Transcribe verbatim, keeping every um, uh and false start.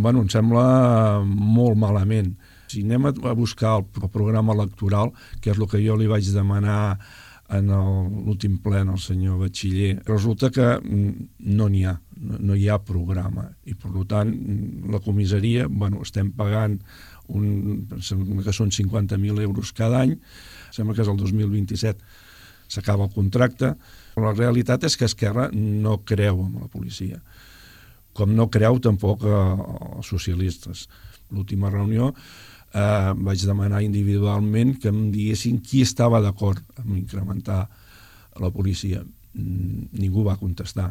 bueno, em sembla molt malament. Si anem a buscar el programa electoral, que és el que jo li vaig demanar en l'últim ple al senyor Batxiller, resulta que no n'hi ha, no hi ha programa. I, per tant, la comissaria, bueno, estem pagant un, que són cinquanta mil euros cada any, sembla que és el dos mil vint-i-set, s'acaba el contracte, però la realitat és que Esquerra no creu en la policia, com no creu tampoc els socialistes. L'última reunió eh, vaig demanar individualment que em diguessin qui estava d'acord amb incrementar la policia. Ningú va contestar.